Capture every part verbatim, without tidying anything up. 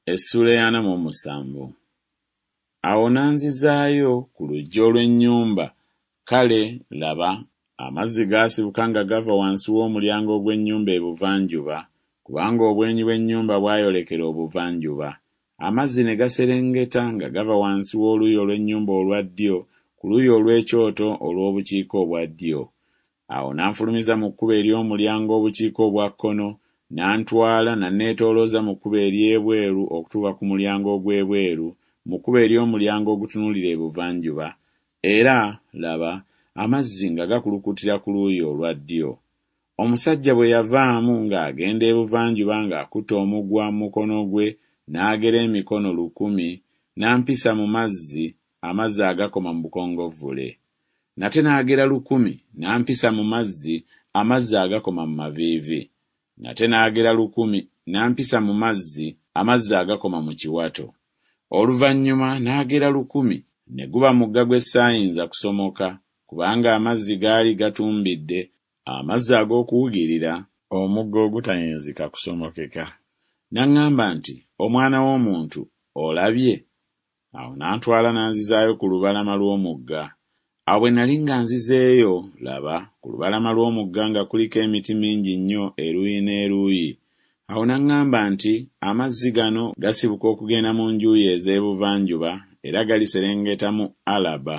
Essuula ey'ana mu omusanvu. Awo n'anzizaayo ku luggya olw'ennyumba, kale, laba, amazzi gaasibuka nga gava wansi w'omulyango ogw'ennyumba ebuvanjuba, kubanga obwenyi bw'ennyumba bwayolekera obuvanjuba. Amazzi ne gaserengeta nga gava wansi w'oluuyi olw'ennyumba olwa ddyo ku luuyi olw'ekyoto olw'obukiika obwa ddyo. Awo n'anfulumiza mu kkubo ery'omulyango obukiika obwa kkono, n'antwala n'anneetoolooza mu kkubo ery'ebweru okutuuka ku mulyango ogw'ebweru, mu kkubo ery'omulyango ogutunuulira ebuvanjuba, era, laba, amazzi nga gakulukutira ku luuyi olwa ddyo. Omusajja bwe yavaamu ng'agenda ebuvanjuba ng'akutte omugwa mu mukono gwe n'agera emikono lukumi, n'ampisa mu mazzi, amazzi agakoma mu bukongovvule. Nate n'agera lukumi, n'ampisa mu mazzi, amazzi agakoma mu maviivi. Nate n'agera lukumi, n'ampisa mu mazzi, amazzi agakoma mu kiwato. Oluvannyuma n'agera lukumi, ne guba mugga gwe saayinza kusomoka, kubanga amazzi gaali gatumbidde, amazzi ag'okuwugirira, omugga ogutayinzika kusomokeka. N'aŋŋamba nti, Omwana w'omuntu, olabye? Awo n'antwala n'anzizaayo ku lubalama lw'omugga. Awo bwe nali nga nzizeeyo, laba, ku lubalama lw'omugga nga kuliko emiti mingi nnyo eruuyi n'eruuyi. Awo n'aŋŋamba nti, Amazzi gano gasibuka okugenda mu njuyi ez'ebuvanjuba, era galiserengeta mu Alaba,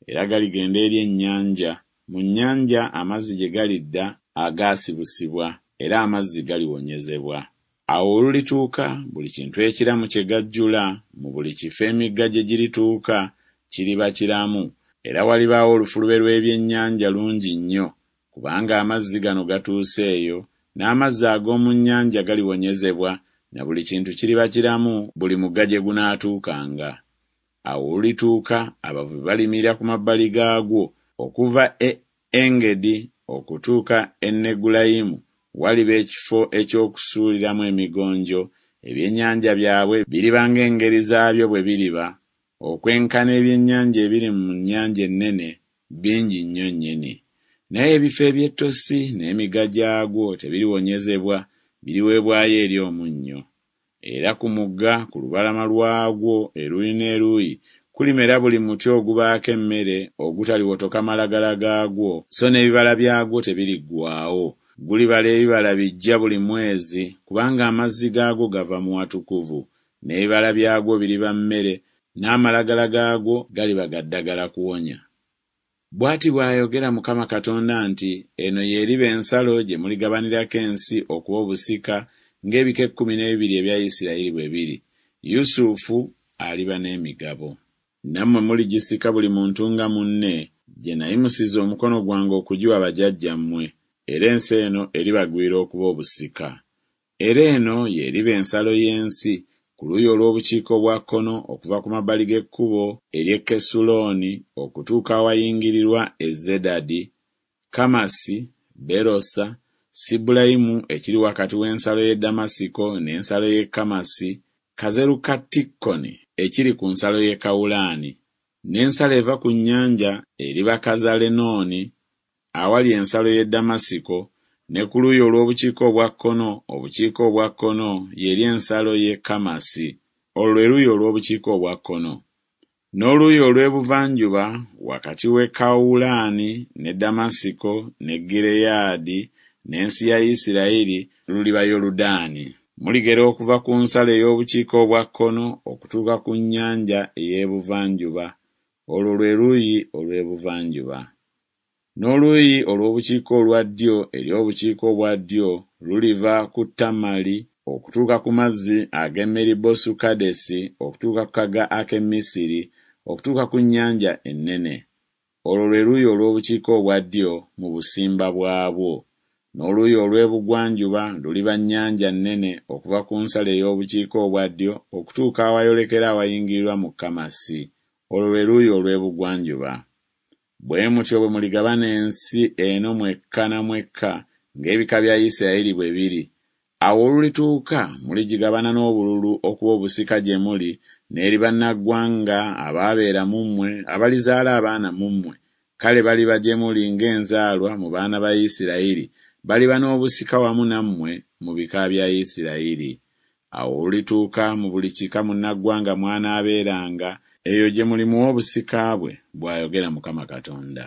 era galigenda eri ennyanja, mu nnyanja amazzi gye galidda agaasibusibwa, era amazzi galiwonyezebwa. Awo olulituuka buli kintu ekiramu kye gajjula, mu buli kifo emigga gye girituuka, kiriba kiramu, era walibaawo olufulube lw'ebyennyanja lungi nnyo, kubanga amazzi gano gatuuse eyo, n'amazzi ag'omu nnyanja galiwonyezebwa, na buli kintu kiriba kiramu buli mugga gye gunaatuukanga. Awo olulituuka abavubi baliyimirira ku mabbali gaagwo, okuva e Engedi okutuuka e Negulayimu waliba ekifo eky'okusuuliramu emigonjo, ebyennyanja byabwe biriba ng'engeri zaabyo bwe biriba, okwenkana ebyennyanja ebiri mu nnyanja ennene, bingi nnyo nnyini. Naye ebifo eby'ettosi n'emigga gyagwo tebiriwonyezebwa, biriweebwayo eri omunnyo. Era ku mugga ku lubalama lwagwo eruuyi n'eruuyi kulimera buli muti ogubaako emmere ogutaliwotoka malagala gaagwo, so n'ebibala byagwo tebiriggwaawo. Gulibala ebibala biggya buli mwezi, kubanga amazzi gaagwo gava mu watukuvu. N'ebibala byagwo biriba mmere, n'amalagala gaagwo galiba ga ddagala kuwonya. Bw'ati bw'ayogera Mukama Katonda nti, Eno y'eriba ensalo gye muligabanirako ensi okuba obusika ng'ebika ekkumi n'ebibiri ebya Isirayiri bwe biri. Yusufu aliba n'emigabo. Nammwe muligisika buli muntu nga munne, gye nayimusiza omukono gwange okugiwa bajjajjammwe, era ensi eno eribagwira okuba obusika. Era eno y'eriba ensalo y'ensi, ku luuyi olw'obukiika obwa kkono okuva ku mabbali g'ekkubo ery'e Kesulooni okutuuka awayingirirwa e Zedadi, Kamasi, Berosa, Sibulayimu ekiri wakati w'ensalo y'e Ddamasiko n'ensalo y'e Kamasi, Kazerukatikoni ekiri ku nsalo y'e Kawulaani. N'ensalo eva ku nnyanja eriba Kazalenooni awali ensalo y'e Ddamasiko, ne ku luuyi olw'obukiika obwa kkono obukiika obwa kkono y'eri ensalo y'e Kamasi. Olwo lwe luuyi olw'obukiika obwa kkono. N'oluuyi olw'ebuvanjuba wakati w'e Kawulaani ne Ddamasiko ne Gireyaadi n'ensi ya Isirayiri luliba Yoludaani. Muligera okuva ku nsalo ey'obukiika obwa kkono okutuuka ku nnyanja ey'ebuvanjuba. Olwo lwe luuyi olw'ebuvanjuba. N'oluuyi olw'obukiika olwa ddyo eri obukiika obwa ddyo luliva ku Tamali okutuuka ku mazzi ag'e Meribosu-Kadesi okutuuka ku kagga ak'e Misiri okutuuka ku nnyanja ennene. Olwo lwe luuyi olw'obukiika obwa ddyo mu busimba bwabwo. N'oluuyi olw'ebugwanjuba luliba nnyanja nnene okuva ku nsalo ey'obukiika obwa ddyo okutuuka awayolekera awayingirirwa mu Kamasi. Olwo lwe luuyi olw'ebugwanjuba. Bwe mutyo bwe muligabana ensi eno mwekka na mwekka ng'ebika bya Isirayiri bwe biri. Awo olulituuka muligigabana n'obululu okuba obusika gye muli n'eri bannaggwanga abaabeera mu mmwe abalizaala abaana mu mmwe, kale baliba gye muli ng'enzaalwa mu baana ba Isirayiri, baliba n'obusika wamu nammwe mu bika bya Isirayiri. Awo olulituuka mu buli kika munnaggwanga mw'anaabeeranga, eyo gye mulimuwa obusika bwe, bw'ayogera Mukama Katonda.